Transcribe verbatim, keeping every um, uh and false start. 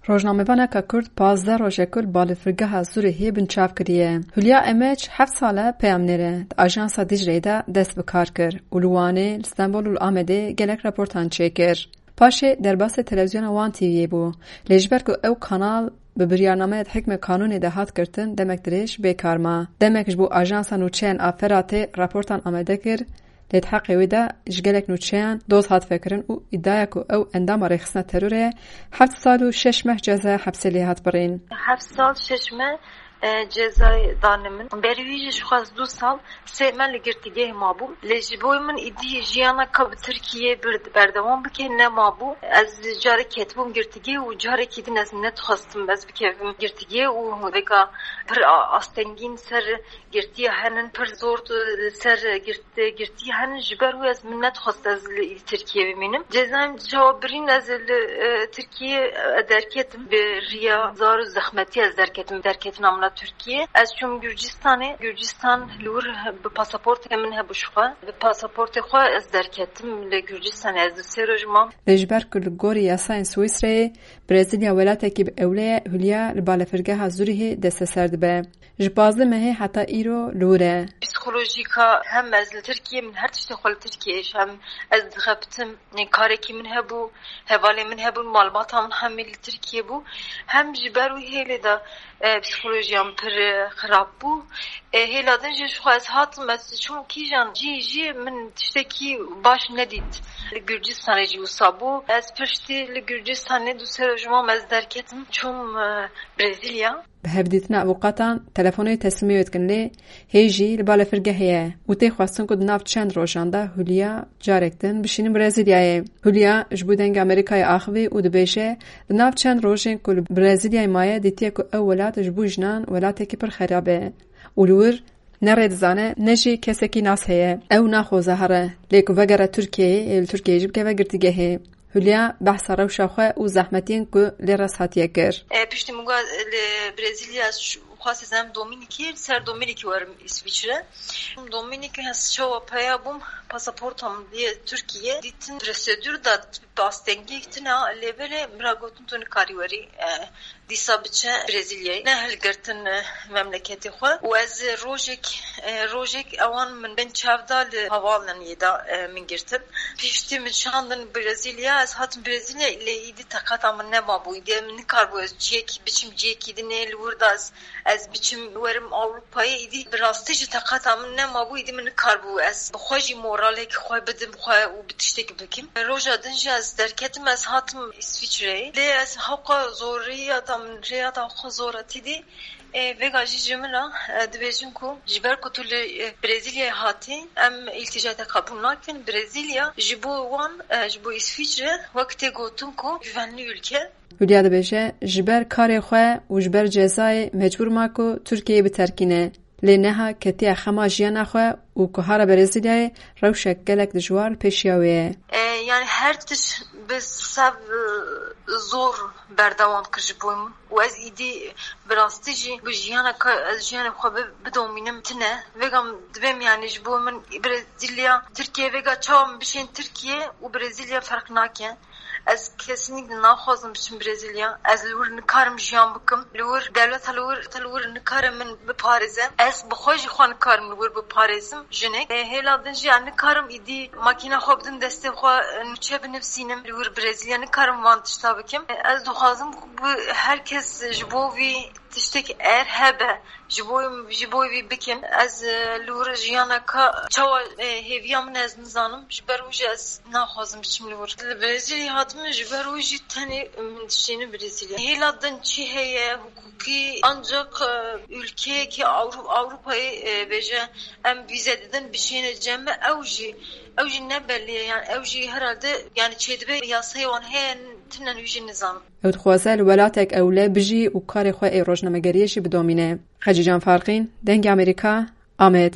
Rojnamevaneka Kurd pazdeh roj e ku li balafirgeha Zurihê binçav kiriye. Hulya Emeç heft sal e peyamnêr e, di Ajansa Dicleyê de dest bi kar kir û li Wanê, li Stenbol û li Amedê gelek raportan çêkir. Paşê derbasê televîzyona Wan T V'yê bû. Lê ji ber ku ew kanal bi biryarnameya di hikmê kanûnê de hat girtin, demek dirêj bêkar ma. Demek ji bo Ajansa Nûçeyan a Feratê raportan amade kir, lê di heqê wê de ji gelek nûçeyan doz hat vekirin û îdiaya ku ew endama rêxistina terorê ye, heft sal û şeş meh cezaya hepsê lê hat birîn. Heft sal şeş meh, e, cezayê dane min. Berî wî jî ji xwe ez du sal, sê meh li girtîgehê mabûm. Lê ji bo min îdî jiyaneka bi Tirkiyê bir-, berdewam bike nemabû. Ez carek ketibûm girtîgehê û carekî din ez nedixwestim ez bikevim girtîgehê û vêka pir a-, astengîn ser girtiya henin, pir zor li ser girt-, girtiya henin, ji ber wê ez min nedixwest ez li Tirkiyê bimînim. Cezayê min çawa birîn, ez li, e, Tirkiyê, e, derketim. Bi riya zar û zehmetî ez derketim. Derketina min a Tirkiyê. Ez çûm Gurcistanê. Gurcistan li wir bi pasaportê min hebû ji xwe. Bi pasaportê xwe ez derketim li Gurcistanê. Ez du sê roj mam. Lê ji ber ku li gorî yasayên Swîsreyê Brezîlya welatekî bi ewle ye, Hulya li balafirgeha Zurihê desteser dibe. Ji pazdeh mehê heta îro li wir e. Psîkolojîka hem ez li Tirkiyê, min her tiştê xwe li Tirkiyê, hem ez dixebitim, karekî min hebû, hevalê min hebûn, malbata min hemî li Tirkiyê bû. Hem ji ber wî hêlê de, e, psîkolojiya min pir, e, xirab bû. E, hêla din jî ji xwe ez hatim, ez çûm kîjan cî jî min tiştekî baş nedît. Li Gurcistanê jî wisa bû. Ez piştî li Gurcistanê du sê roj mam ez derketim, çûm, e, Brezîlya. Bi hevdîtina avûkatan telefonê teslîmê wê dikin, lê hê jî li balafirgehê ye û tê xwestin ku di nav çend rojan de Hulya carek din bişînin Brezîlyayê. Hulya ji bo Dengê Amerîkayê axivî û dibêje, di nav çend rojên ku li Brezîlyayê maye, dîtiye ku ew welat ji bo jinan welatekî pir xerab e û li wir ne rê dizane, ne jî kesekî nas heye. Ew naxwaze here, lê ku vegere Tirkiyeyê, ê li Tirkiyeyê jî bikeve girtîgehê. Hulya behsa rewşa xwe û zehmetiyên ku lê rest hatiye kir. E, piştî min got, li Brezîlya ez xwest ez em Domînîkê, li ser Domînîkê werim Îsvîçre. Domînîkê ez çawa peya bûm, pasaporta min diye Tirkiye, dîtin prosedûr da, astengî tune, lê belê min re gotin tu nikarî werî, e, dîsa biçe Brezîlyayê. Nehilgirtin, e, memleketê xwe. Û ez rojek, e, rojek ewan min bin çav da li havaalaniyê de, e, min girtin. Piştî min şandin Brezîlya, ez hatim Brezîlya, lê îdî teqata min nemabû. Îdî min nikaribû ez ciyekî biçim ciyekî dinê li wir de ez, ez biçim werim Ewropayê. Îdî bi rastî jî teqata min nemabû, îdî min nikaribû ez bi xwe jî moralek xwe bidim xwe û bi tiştek bikim. Roja din jî ez derketim, ez hatim Îsvîçreyê. Lê ez hewqa zorî ya da min rêya da xwe zor e tîdî. E, vêga jî ji min re, e, dibêjin ku ji ber ku tu li, e, Brezîlyayê hatî, em îltîca te qebûl nakin. Brezîlya ji bo wan, e, ji bo Îsvîçre wek tê gotin ku güvenli ülke. Hulya dibêje, ji ber karê xwe û ji ber cezayê mecbûr ma ku Tirkiyeyê biterkîne. Lê neha ketiye xema jiyana xwe û ku hara Brezîlyayê rewşek gelek dijwar li pêşiya wê ye. E, yani her tişt bi sev, e, zor berdewam kir ji bo min. Û ez îdî bi rastî jî bi jiyana ka ez jiyanê xwe bi-, bidomînim tine. Vêga min dibêm yani ji bo min Brezîlya, Tirkiye vêga çawa min bişên Tirkiye û Brezîlya ferq nake. Ez kesinlikle naxwazim biçim Brezîlya. Ez li wir nikarim jiyan bikim. Li wir dewleta li wir, li wir nikare min biparêze. Ez bi xwe jî xwe nikarim li wir biparêzim. Jinek. E, hêla din jî ez nikarim îdî makîna xwe bidim destê xwe, e, nûçe binivîsînim. Li wir Brezîlya nikarim van tişta bikim. E, ez dixwazim ku bi her kes ji bo vî tiştek er hebe, ji bo, ji bo vî bikim. Ez, e, li wir jiyaneka çawa, e, hêviya min ez nizanim. Ji ber wî jî ez naxwazim biçim li wir. Li Brezîlyayê hatime, ji ber wî jî tenê min dişînim Brezîlya. Hêla din çi heye, hukukî, ancak, e, ülkeyekî Avru-, Avrupayê, e, bêje, em vîze didin, bişêne cem me, ew jî, ew jî ne belî ye, yani ew jî herhalde, yani çêdibe yasayê wan heye, tinen wî jî nizanim. Ew dixwaze li welatek ewle bijî û karê xwe ê rojnamegeriyê jî bidomîne. Xecîcan Farqîn, Dengê Amerîka, Amed.